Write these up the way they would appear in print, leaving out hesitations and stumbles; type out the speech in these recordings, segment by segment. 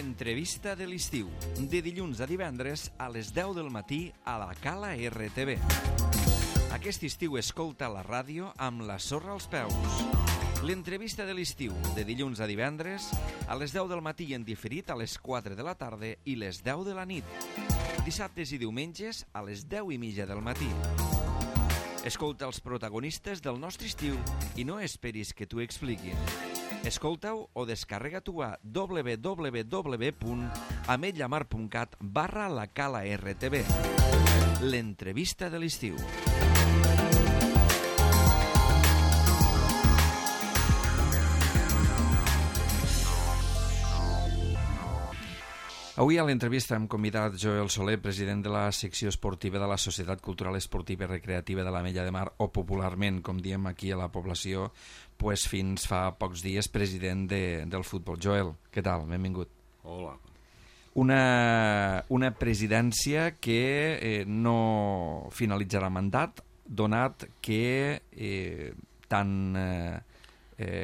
L'entrevista de l'estiu, de dilluns a divendres a les 10 del matí a la Cala RTV. Aquest estiu escolta la ràdio amb la sorra als peus. L'entrevista de l'estiu, de dilluns a divendres a les 10 del matí i en diferit a les 4 de la tarda i les 10 de la nit. Dissabtes i diumenges a les 10:30 del matí. Escolta els protagonistes del nostre estiu i no esperis que t'ho expliquin. Escolta-ho o descarrega-t'ho a www.ametlllamar.cat/la Cala RTV. L'entrevista de l'estiu. Avui a l'entrevista hem convidat Joel Soler, president de la secció esportiva de la Societat Cultural Esportiva i Recreativa de l'Ametlla de Mar, o popularment, com diem aquí a la població, pues fins fa pocs dies president del futbol. Joel, què tal? Benvingut. Hola. Una presidència que no finalitzarà mandat, donat que tant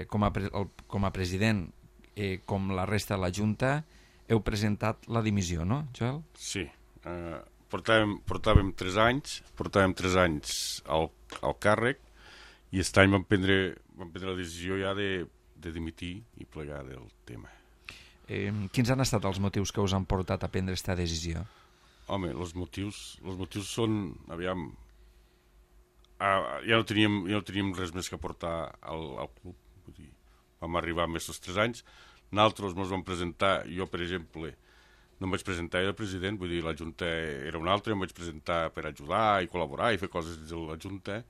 com a president com la resta de la Junta heu presentat la dimissió, no, Joel? Sí. Portàvem 3 anys al càrrec i aquest any vam prendre la decisió ja de dimitir i plegar del tema. Quins han estat els motius que us han portat a prendre aquesta decisió? Home, els motius són, aviam, ja no teníem res més que aportar al club. Vull dir, vam arribar amb aquests 3 anys. Nosaltres ens vam presentar, jo per exemple no em vaig presentar de president, vull dir, la Junta era una altra, em vaig presentar per ajudar i col·laborar i fer coses dins de la Junta.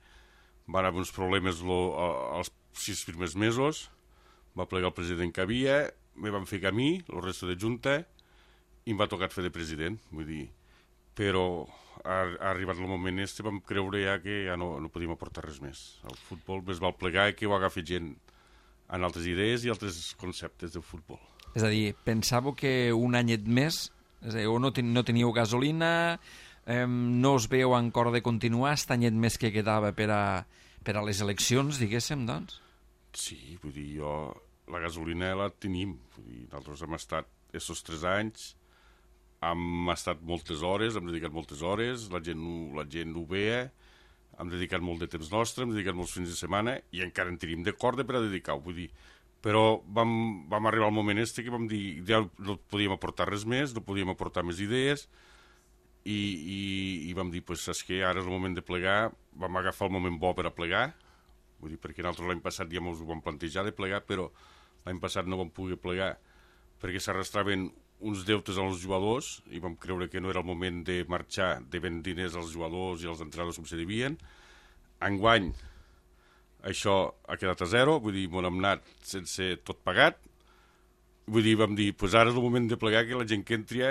Van haver uns problemes els 6 primers mesos, va plegar el president que havia, me van fer camí, el resto de Junta, i em va tocar fer de president, vull dir, però ha arribat el moment este, vam creure ja que ja no podíem aportar res més. El futbol més val plegar que ho agafi gent en altres idees i altres conceptes del futbol. És a dir, pensàveu que un anyet més, és a dir, o no teníeu gasolina, no us veieu encara de continuar, aquest anyet més que quedava per a les eleccions, diguéssim, doncs? Sí, vull dir, la gasolina la tenim. Vull dir, nosaltres hem estat aquests 3 anys, hem estat moltes hores, hem dedicat moltes hores, la gent ho veia, hem dedicat molt de temps nostre, hem dedicat molts fins de setmana i encara en tenim de corda per a dedicar-ho, vull dir. Però vam arribar al moment que vam dir ja no podíem aportar res més, no podíem aportar més idees i vam dir, pues, saps què, ara és el moment de plegar, vam agafar el moment bo per a plegar, vull dir, perquè nosaltres l'any passat ja ens ho vam plantejar de plegar, però l'any passat no vam poder plegar perquè s'arrastraven uns deutes als jugadors i vam creure que no era el moment de marxar devent diners als jugadors i als entrenadors com se devien. Enguany això ha quedat a zero, vull dir, m'ho hem anat sense tot pagat, vull dir, vam dir, pues ara és el moment de plegar, que la gent que entri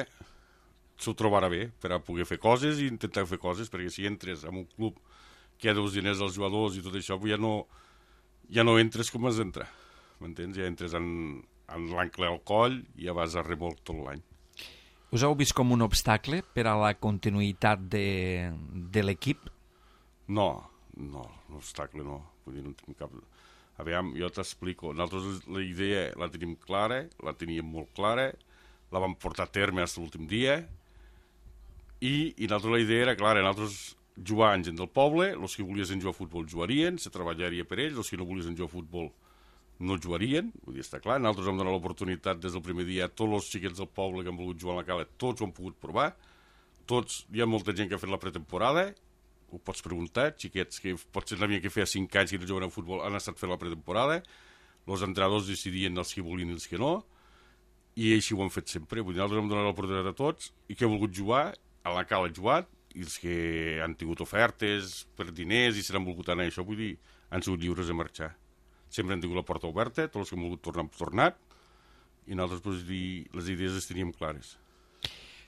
s'ho trobarà bé per a poder fer coses i intentar fer coses, perquè si entres en un club que hi ha deus diners als jugadors i tot això, ja no entres com has d'entrar, m'entens? Ja entres en l'ancle al coll i ja vas a remolc tot l'any. Us heu vist com un obstacle per a la continuïtat de l'equip? No, obstacle no. Vull dir, no tenim cap... Aviam, jo t'explico. Nosaltres la idea la tenim clara, la teníem molt clara, la vam portar a terme fins l'últim dia i nosaltres la idea era clara. Nosaltres jugar amb gent del poble, els que volien jugar a futbol jugarien, se treballaria per ells, els que no volien jugar a futbol no jugarien, vull dir, està clar. Nosaltres vam donar l'oportunitat des del primer dia a tots els xiquets del poble que han volgut jugar a la Cala, tots ho han pogut provar, tots, hi ha molta gent que ha fet la pretemporada, ho pots preguntar, xiquets que potser n'havien que fer 5 anys que no juguen a futbol han estat fent la pretemporada, els entrenadors decidien els que volien i els que no, i així ho han fet sempre. Vull dir, nosaltres hem donat l'oportunitat a tots, i que ha volgut jugar, a la Cala ha jugat, i els que han tingut ofertes per diners i se n'han volgut anar, això vull dir, han sigut lliures de marxar. Sempre han tingut la porta oberta, tots els que han volgut tornar han tornat, i nosaltres, pues, les idees les teníem clares.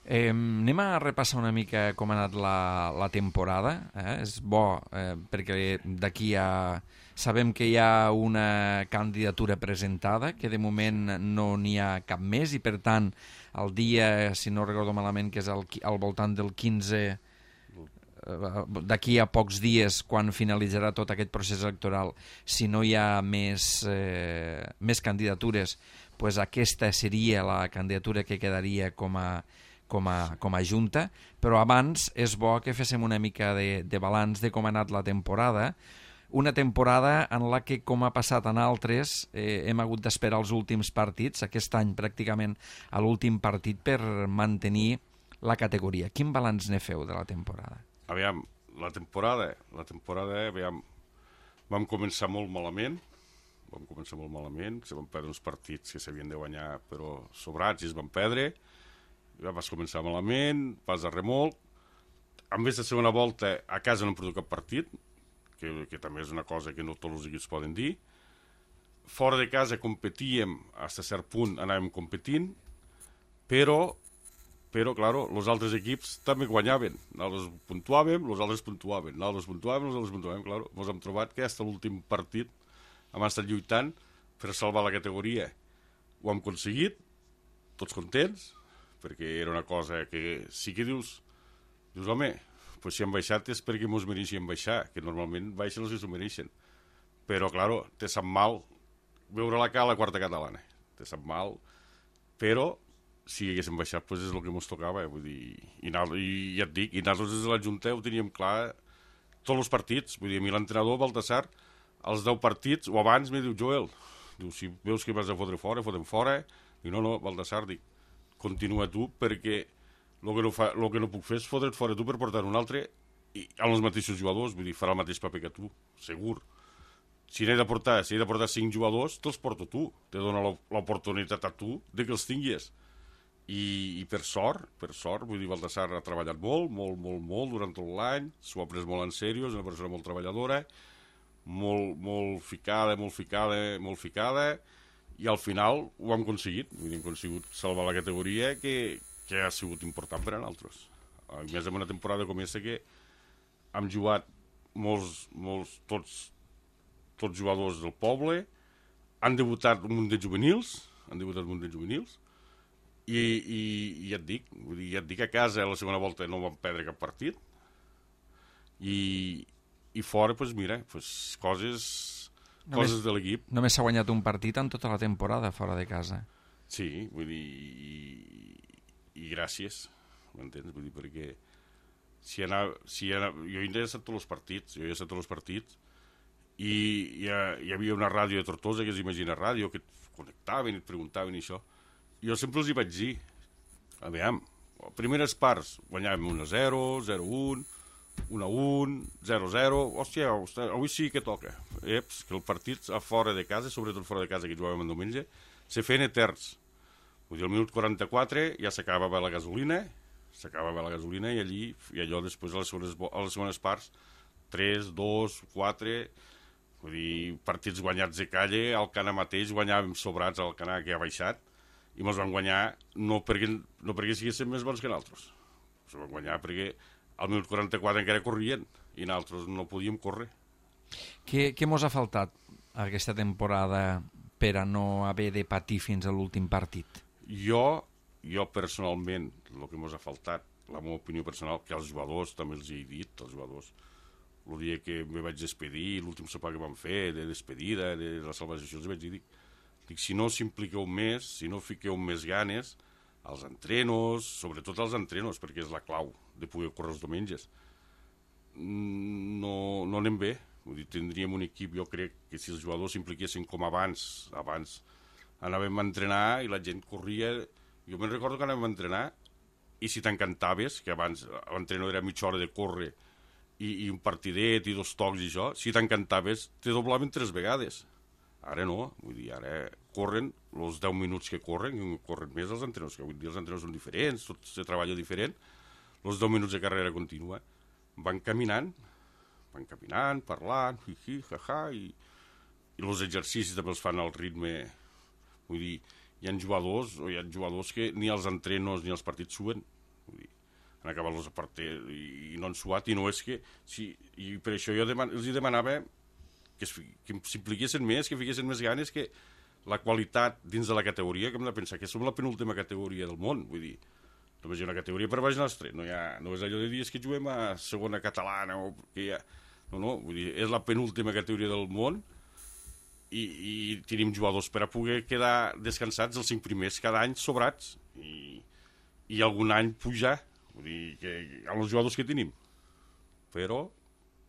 Anem a repassar una mica com ha anat la temporada. És bo, perquè d'aquí sabem que hi ha una candidatura presentada, que de moment no n'hi ha cap més, i per tant, el dia, si no recordo malament, que és al voltant del 15 d'aquí a pocs dies, quan finalitzarà tot aquest procés electoral, si no hi ha més candidatures, pues aquesta seria la candidatura que quedaria com a junta, però abans és bo que féssim una mica de balanç de com ha anat la temporada, una temporada en la que, com ha passat en altres, hem hagut d'esperar els últims partits, aquest any pràcticament a l'últim partit per mantenir la categoria. Quin balanç ne feu de la temporada? Aviam, la temporada, aviam, vam començar molt malament, se van perdre uns partits que s'havien de guanyar, però sobrats i es van perdre, vas començar malament, vas a remolc, en vez de segona volta a casa no hem perdut cap partit, que també és una cosa que no tots els equips poden dir. Fora de casa competíem, fins a cert punt anàvem competint, però claro, els altres equips també guanyaven. Nosaltres puntuàvem, els altres puntuàvem, claro. Ens hem trobat que fins a l'últim partit hem estat lluitant per salvar la categoria. Ho hem aconseguit, tots contents, perquè era una cosa que sí que dius home, pues si han baixat és perquè mos mereixien baixar, que normalment baixen els que s'ho mereixen. Però, claro, te sap mal veure la cara a la quarta catalana. Te sap mal, però si haguéssim baixat, pues és el que mos tocava. Vull dir, i ja et dic, i nosaltres des de la Junta ho teníem clar tots els partits. Vull dir, a mi l'entrenador, Baltasar, als 10 partits, o abans, me diu, Joel, diu, si veus que vas a fotre fora, fotem fora. Diu, no, Baltasar, dic, continua tu, perquè el que no puc fer és fotre't fora tu per portar un altre amb els mateixos jugadors, vull dir, farà el mateix paper que tu, segur. Si he de portar 5 jugadors, te'ls porto tu, te dona l'oportunitat a tu de que els tinguis. I per sort, vull dir, Baltasar ha treballat molt durant tot l'any, s'ho ha pres molt en sèrio, és una persona molt treballadora, molt ficada, i al final ho hem aconseguit, vull dir, hem aconseguit salvar la categoria que ha sigut important per a nosaltres. A més, en una temporada com aquesta que hem jugat tots jugadors del poble, han debutat un munt de juvenils, i ja et dic, a casa a la segona volta no vam perdre cap partit, i fora, doncs mira, coses de l'equip. Només s'ha guanyat un partit en tota la temporada fora de casa. Sí, vull dir, i gràcies, m'entens? Vull dir, perquè jo he estat tots els partits, i hi havia una ràdio de Tortosa, que és Imagina Ràdio, que et connectaven i et preguntaven i això. Jo sempre els hi vaig dir, aviam, primeres parts guanyàvem 1-0, 0-1, 1-1, 0-0, hòstia, avui sí que toca. Que el partit a fora de casa, sobretot fora de casa, que jugàvem en diumenge, se feien eterns. Vull dir, al minut 44 ja s'acabava la gasolina, i allò després a les segones parts, 3, 2, 4, vull dir, partits guanyats de calle, al Cana mateix guanyàvem sobrats al Cana, que ha baixat, i ens van guanyar no perquè siguéssim més bons que nosaltres. Ens van guanyar perquè al minut 44 encara corrien, i nosaltres no podíem córrer. Què mos ha faltat aquesta temporada per a no haver de patir fins a l'últim partit? Jo personalment, el que mos ha faltat, la meva opinió personal, que als jugadors també els he dit, als jugadors, el dia que me vaig despedir, l'últim sopar que vam fer, de despedida, de la salvació, els vaig dir, si no s'impliqueu més, si no fiqueu més ganes, als entrenos, sobretot als entrenos, perquè és la clau de poder córrer els diumenges, no anem bé. Vull dir, tindríem un equip, jo crec que si els jugadors s'impliquessin com abans anàvem a entrenar i la gent corria. Jo me'n recordo que anàvem a entrenar i si t'encantaves, que abans l'entrenador era mitja hora de córrer i un partidet i 2 tocs i això, si t'encantaves te doblaven 3 vegades. Ara no, vull dir, ara corren els 10 minuts que corren més els entrenadors, que vull dir, els entrenadors són diferents, tot se treballa diferent, els 10 minuts de carrera contínua. Van caminant, parlant, jaja, i els exercicis també els fan al ritme. Vull dir, hi ha jugadors que ni els entrenos ni els partits suen. Vull dir, han acabat els partits i no han suat, i no és que... I per això jo els demanava que s'impliquessin més, que fiquessin més ganes, que la qualitat dins de la categoria, que hem de pensar que som la penúltima categoria del món, vull dir, només hi ha una categoria per baix nostre, no és allò de dir que juguem a segona catalana o que hi ha... No, vull dir, és la penúltima categoria del món i tenim jugadors per a poder quedar descansats els 5 primers cada any sobrats i algun any pujar, vull dir que amb els jugadors que tenim, però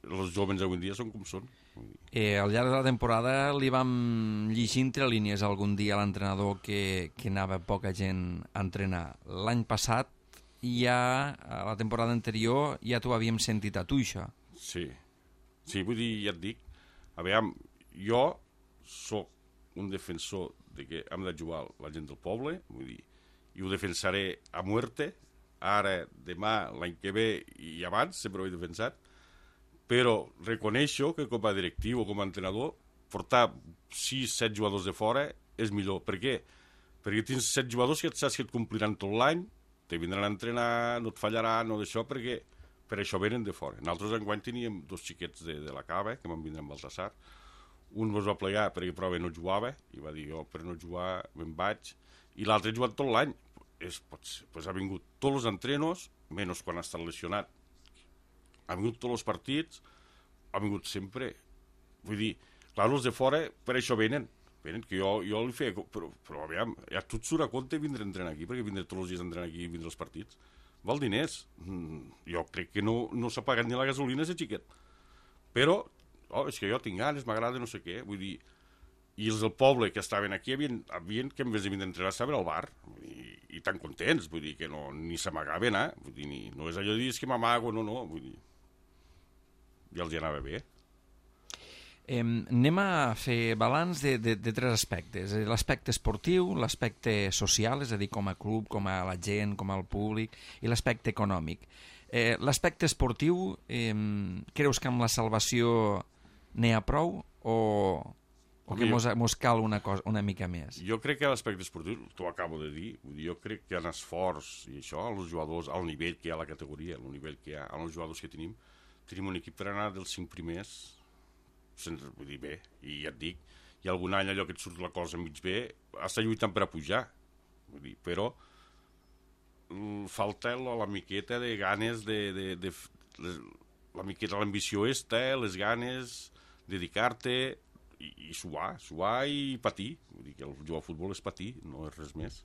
els joves avui en dia són com són. Al llarg de la temporada li vam llegir entre línies algun dia a l'entrenador que anava poca gent a entrenar. L'any passat, ja a la temporada anterior, ja t'ho havíem sentit a tu, això. Sí, vull dir, ja et dic, a veure, jo sóc un defensor de que hem de jugar la gent del poble, vull dir, i ho defensaré a muerte, ara, demà, l'any que ve i abans, sempre ho he defensat, però reconeixo que com a directiu o com a entrenador portar 6-7 jugadors de fora és millor. Per què? Perquè tens 7 jugadors que saps que et compliran tot l'any, te vindran a entrenar, no et fallaran, no d'això, perquè per això venen de fora. Nosaltres enguany teníem 2 xiquets de la Cava, que van vindre amb Baltasar. Un es va plegar perquè prova no jugava, i va dir jo per no jugar me'n vaig, i l'altre ha jugat tot l'any. Pues ha vingut tots els entrenos, menys quan ha estat lesionat. Ha vingut tots els partits, ha vingut sempre. Vull dir, clar, els de fora per això venen, que jo li feia... Però aviam, ja tot surt a compte vindre a entrenar aquí, perquè vindre tots els dies a entrenar aquí i vindre als partits. Val diners. Jo crec que no s'ha pagat ni la gasolina, ese xiquet. Però, és que jo tinc ganes, m'agrada no sé què, vull dir... I els del poble que estaven aquí havien que en vez de vindre a entrenar estaven al bar, i tan contents, vull dir, que ni s'amagaven, vull dir, no és allò de dir que m'amago, no, vull dir... Ja els hi anava bé. Anem a fer balanç de 3 aspectes. L'aspecte esportiu, l'aspecte social, és a dir, com a club, com a la gent, com al públic, i l'aspecte econòmic. L'aspecte esportiu, creus que amb la salvació n'hi ha prou o que mos cal una mica més? Jo crec que l'aspecte esportiu, t'ho acabo de dir, jo crec que en esforç i això, els jugadors, al nivell que hi ha a la categoria, al nivell que hi ha, als jugadors que tenim un equip per anar dels 5 primers, vull dir, bé, i ja et dic, i algun any allò que et surt la cosa mig bé, està lluitant per a pujar, vull dir, però falta la miqueta de ganes la miqueta l'ambició les ganes, dedicar-te i suar i patir, vull dir que el jugar a futbol és patir, no és res més.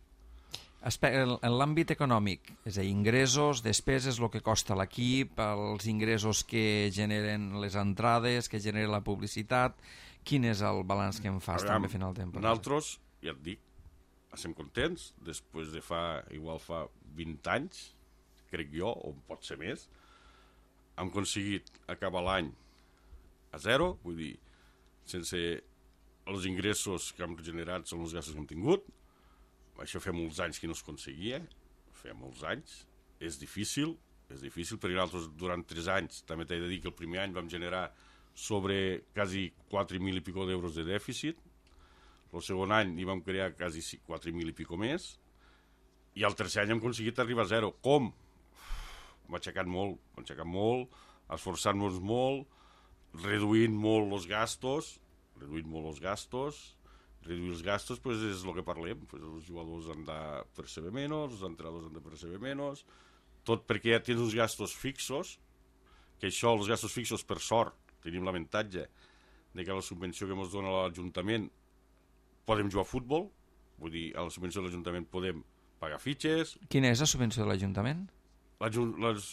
En l'àmbit econòmic, és a dir, ingressos, despeses, el que costa l'equip, els ingressos que generen les entrades, que genera la publicitat, quin és el balanç que en fas també a final de temporada? Nosaltres, ja et dic, estem contents, després de fa 20 anys, crec jo, o pot ser més, hem aconseguit acabar l'any a 0, vull dir, sense els ingressos que hem generat són els gastos que hem tingut. Això fa molts anys que no es aconseguia, fa molts anys, és difícil, perquè nosaltres durant 3 anys, també t'he de dir que el primer any vam generar sobre quasi 4.000 i pico d'euros de dèficit, el segon any hi vam crear quasi 4.000 i pico més, i el tercer any hem aconseguit arribar a 0. Com? Hem aixecat molt, esforçant-nos molt, reduint molt els gastos, reduir els gastos pues és el que parlem, pues els jugadors han de percebre menys, els entrenadors han de percebre menys, tot perquè ja tens uns gastos fixos, que això, els gastos fixos, per sort, tenim l'avantatge de que la subvenció que ens dona l'Ajuntament podem jugar a futbol, vull dir, a la subvenció de l'Ajuntament podem pagar fitxes. Quina és la subvenció de l'Ajuntament? Les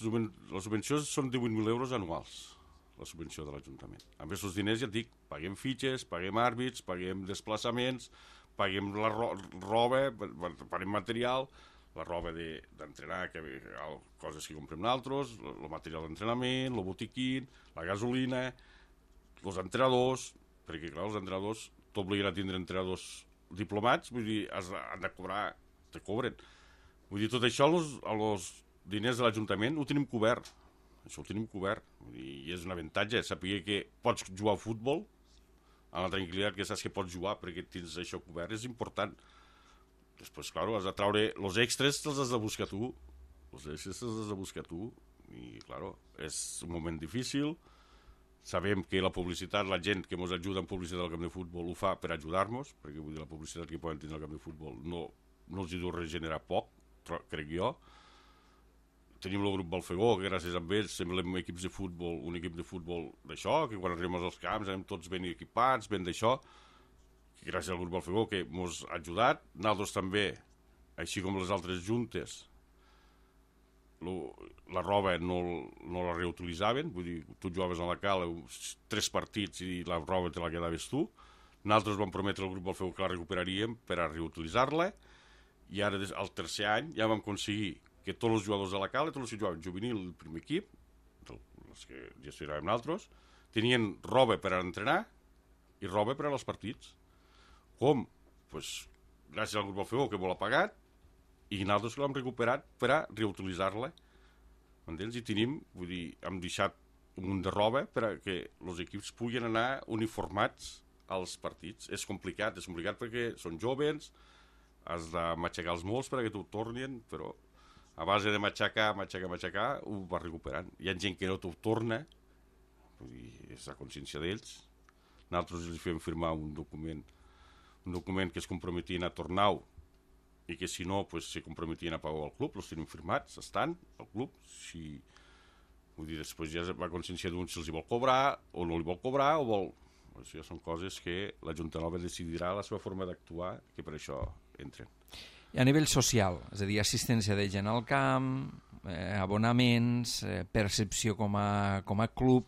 subvencions són 18.000 euros anuals, la subvenció de l'Ajuntament. Amb aquests diners, ja et dic, paguem fitxes, paguem àrbits, paguem desplaçaments, paguem la roba, paguem material, la roba d'entrenar, coses que comprem nosaltres, el material d'entrenament, el botiquín, la gasolina, els entrenadors, perquè clar, els entrenadors t'obliguen a tindre entrenadors diplomats, vull dir, han de cobrar, te cobren. Vull dir, tot això, els diners de l'Ajuntament ho tenim cobert. Això ho tenim cobert. I és un avantatge, saber que pots jugar a futbol, amb la tranquil·litat que saps que pots jugar perquè tens això cobert, és important. Després, clar, has de traure els extras, els has de buscar tu. I, clar, és un moment difícil. Sabem que la publicitat, la gent que ens ajuda en publicitat al camp de futbol ho fa per ajudar-nos, perquè vull dir, la publicitat que poden tenir al camp de futbol no els hi deu regenerar poc, crec jo. Tenim el grup Balfegó, que gràcies a ells semblem equips de futbol, un equip de futbol d'això, que quan arribem als camps anem tots ben equipats, ben d'això. gràcies al grup Alfegó, que ens ha ajudat. Nosaltres també, així com les altres juntes, la roba no la reutilitzaven, vull dir, tu jugaves a la cala 3 partits i la roba te la quedaves tu. Nosaltres vam prometre al grup Alfegó que la recuperaríem per a reutilitzar-la, i ara, al tercer any, ja vam aconseguir que tots els jugadors de la cala, tots els que jugaven juvenil i el primer equip, els que gestionàvem nosaltres, tenien roba per a entrenar i roba per als partits. Com? Pues, gràcies al grup Alfegó, que m'ho l'ha pagat, i nosaltres l'hem recuperat per a reutilitzar-la. M'entens? I tenim, vull dir, hem deixat un munt de roba per a que els equips puguin anar uniformats als partits. És complicat perquè són joves, has de matxacar els molts perquè t'ho tornin, però a base de matxacar, ho va recuperant. Hi ha gent que no t'ho torna, vull dir, és la consciència d'ells. Nosaltres els fem firmar un document que es comprometien a tornar-ho, i que si no, pues, se comprometien a pagar al club, els tenim firmats, estan al club. Si, vull dir, després ja va consciència d'un si els hi vol cobrar o no li vol cobrar o vol... Això ja són coses que la Junta Nova decidirà la seva forma d'actuar, que per això entren. I a nivell social, és a dir, assistència de gent al camp, abonaments, percepció com a club...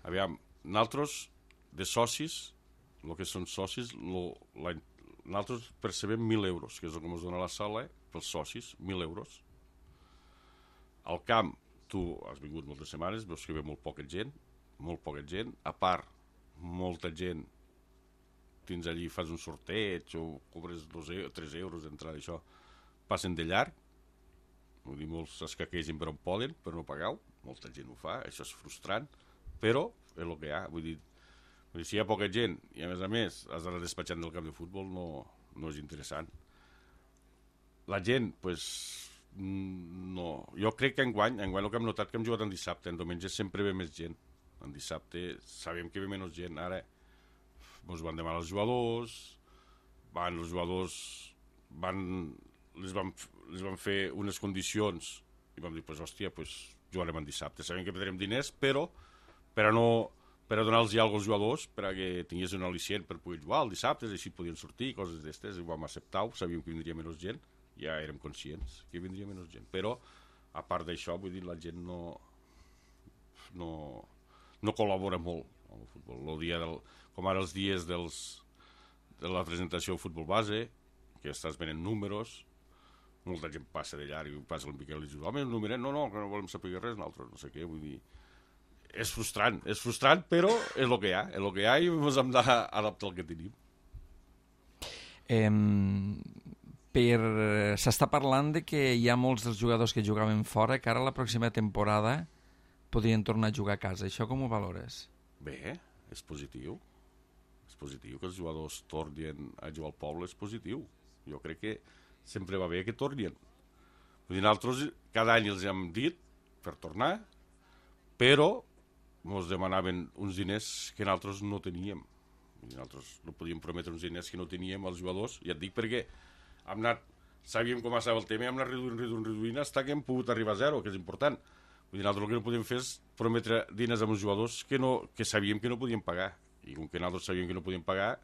Aviam, nosaltres, de socis, el que són socis, nosaltres percebem 1.000 euros, que és el que ens dona la sala pels socis, 1.000 euros. Al camp, tu has vingut moltes setmanes, veus que ve molt poca gent, a part, molta gent, tens allí, fas un sorteig o cobres 3 euros d'entrada, això, passen de llarg, vull dir, molts escaquegen per on poden, per no pagar-ho, molta gent ho fa, això és frustrant, però és el que hi ha, vull dir, si hi ha poca gent i a més has d'anar despatxant del camp de futbol, no és interessant. La gent, pues, no. Jo crec que enguany el que hem notat que hem jugat en dissabte, en diumenge sempre ve més gent. En dissabte sabem que ve menys gent. Ara ens van demanar els jugadors, les van fer unes condicions i vam dir, pues, hòstia, pues, jugarem en dissabte. Sabem que perdrem diners, però per a donar-los ja als jugadors perquè tingués un al·licient per poder jugar el dissabte, així podien sortir, coses d'estes, i ho vam acceptar-ho, sabíem que vindria menys gent, ja érem conscients que vindria menys gent, però a part d'això, vull dir, la gent no col·labora molt amb el futbol. Com ara els dies de la presentació del futbol base, que estàs venent números, molta gent passa de llarg i passa l'Empiquel i diu, home, el numeret, no, que no volem saber res, nosaltres no sé què, vull dir, és frustrant, però és el que hi ha i ens hem d'adaptar al que tenim. S'està parlant de que hi ha molts dels jugadors que jugaven fora que ara la pròxima temporada podrien tornar a jugar a casa. Això com ho valores? Bé, és positiu. És positiu que els jugadors tornin a jugar al poble, és positiu. Jo crec que sempre va bé que tornin. Nosaltres cada any els hem dit per tornar, però ens demanaven uns diners que nosaltres no teníem. Nosaltres no podíem prometre uns diners que no teníem als jugadors, i et dic perquè sabíem com estava el tema i hem anat reduint fins que hem pogut arribar a zero, que és important. Vull dir, nosaltres el que no podíem fer és prometre diners als jugadors que sabíem que no podíem pagar, i com que nosaltres sabíem que no podíem pagar,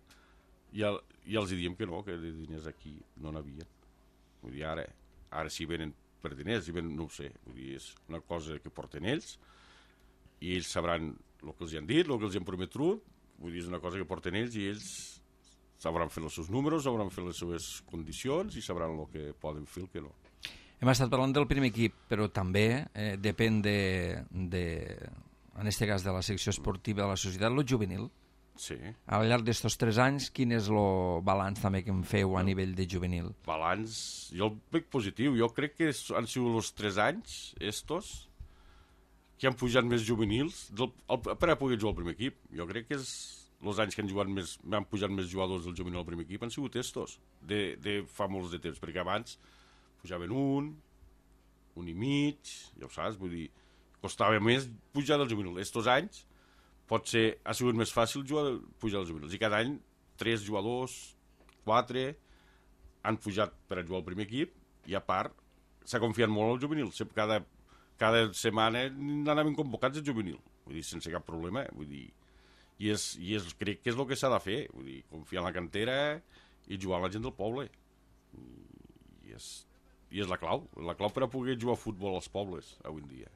ja els diem que no, que de diners aquí no n'havien. Vull dir, ara si venen per diners, no ho sé, vull dir, és una cosa que porten ells, i ells sabran el que els han dit, el que els han prometut, vull dir, és una cosa que porten ells i ells sabran fer els seus números, sabran fer les seves condicions i sabran el que poden fer i el que no. Hem estat parlant del primer equip, però també depèn en aquest cas de la secció esportiva de la societat, el juvenil. Sí. Al llarg d'estos 3 anys, quin és el balanç també que en feu a nivell de juvenil? Balanç, jo el veig positiu. Jo crec que han sigut els 3 anys estos que han pujat més juvenils per a poder jugar al primer equip. Jo crec que els anys que han pujat més jugadors del juvenil al primer equip han sigut estos, de fa molts de temps, perquè abans pujaven un i mig, ja ho saps, vull dir, costava més pujar del juvenil. Estos anys potser ha sigut més fàcil pujar dels juvenils, i cada any 3 jugadors, 4 han pujat per a jugar al primer equip, i a part s'ha confiat molt al juvenil. Cada setmana n'anaven convocats al juvenil, vull dir, sense cap problema, vull dir, I crec que és el que s'ha de fer, vull dir, confiar en la cantera i jugar amb la gent del poble. I és la clau per a poder jugar a futbol als pobles avui en dia.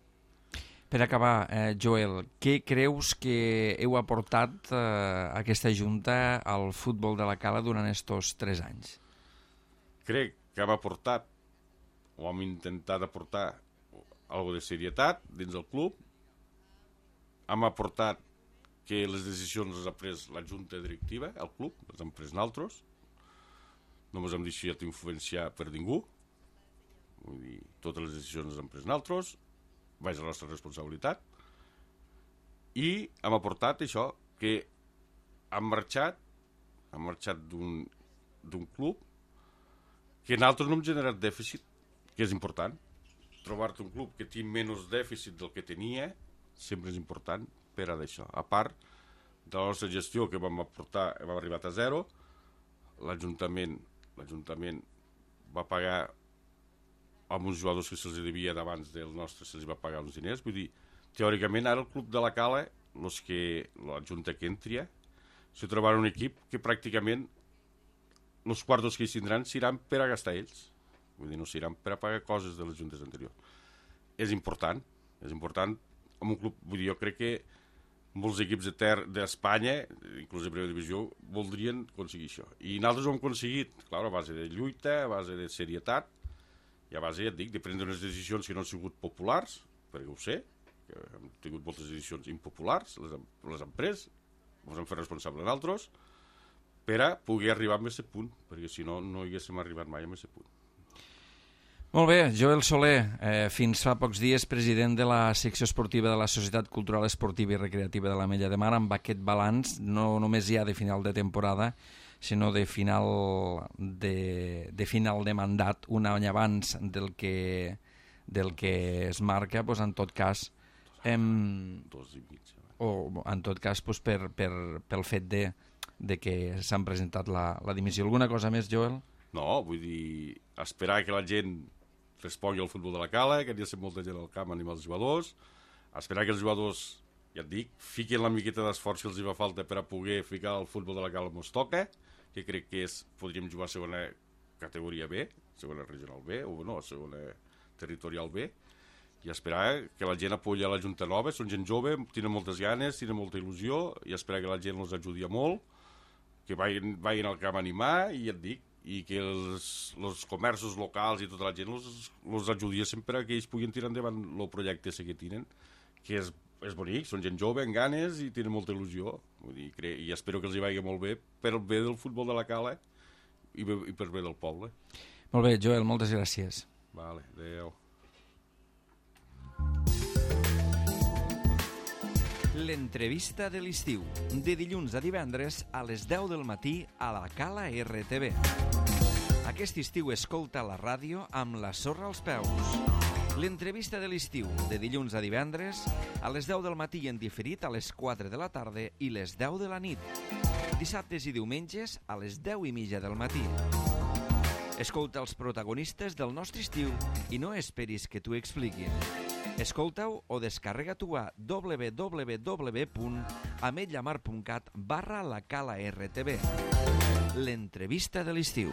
Per acabar, Joel, què creus que heu aportat aquesta junta al futbol de la Cala durant estos 3 anys? Crec que hem aportat, o hem intentat aportar, alguna de serietat dins del club. Hem aportat que les decisions les ha pres la junta directiva, el club, les hem pres nosaltres. No ens hem deixat influenciar per ningú. Vull dir, totes les decisions les hem pres nosaltres, és la nostra responsabilitat. I hem aportat això, que hem marxat d'un club que nosaltres no hem generat dèficit, que és important. Trobar-te un club que té menys dèficit del que tenia sempre és important per a d'això. A part de la nostra gestió que vam aportar, hem arribat a 0, l'Ajuntament va pagar amb uns jugadors que se'ls devia d'abans del nostre, se'ls va pagar uns diners. Vull dir, teòricament ara el club de la Cala, la junta que entria, se trobarà un equip que pràcticament els quartos que hi tindran seran per a gastar ells. Vull dir, no seran per a pagar coses de les juntes anteriors. És important amb un club, vull dir, jo crec que molts equips d'Espanya, inclús de primera divisió, voldrien aconseguir això. I nosaltres ho hem aconseguit, clar, a base de lluita, a base de serietat, i a base, ja et dic, de prendre unes decisions que no han sigut populars, perquè ho sé, que hem tingut moltes decisions impopulars, les hem pres, ens hem fet responsables nosaltres, per a poder arribar a aquest punt, perquè si no, no haguéssim arribat mai a aquest punt. Molt bé, Joel Soler, fins fa pocs dies president de la secció esportiva de la Societat Cultural Esportiva i Recreativa de l'Ametlla de Mar, amb aquest balanç, no només ja de final de temporada, sinó de final de mandat, un any abans del que es marca, doncs en tot cas... 2 i mig. O en tot cas doncs pel fet de que s'han presentat la dimissió. Alguna cosa més, Joel? No, vull dir, esperar que la gent respongui al futbol de la Cala, que hi ha molta gent al camp animar els jugadors, esperar que els jugadors, ja et dic, fiquin la miqueta d'esforç que els hi fa falta per a poder ficar el futbol de la Cala on es toca, que crec que podríem jugar a segona categoria B, segona regional B, o no, segona territorial B, i esperar que la gent apoyi a la Junta Nova, són gent jove, tenen moltes ganes, tenen molta il·lusió, i esperar que la gent els ajudi molt, que vagin al camp a animar, i ja et dic, i que els comerços locals i tota la gent els ajudessin per a que ells puguin tirar endavant el projecte que tenen, que és bonic, són gent jove, amb ganes i tenen molta il·lusió. Vull dir, i espero que els hi vagi molt bé per el bé del futbol de la Cala i per bé del poble. Molt bé, Joel, moltes gràcies. Vale, adéu. L'entrevista de l'estiu, de dilluns a divendres a les 10 del matí a la Cala RTV. Aquest estiu escolta la ràdio amb la sorra als peus. L'entrevista de l'estiu, de dilluns a divendres a les 10 del matí en diferit a les 4 de la tarda i les 10 de la nit. Dissabtes i diumenges a les 10:30 del matí. Escolta els protagonistes del nostre estiu i no esperis que t'ho expliquin. Escolta-ho o descarrega-t'ho a www.ametlamar.cat/la Cala RTV. L'entrevista de l'estiu.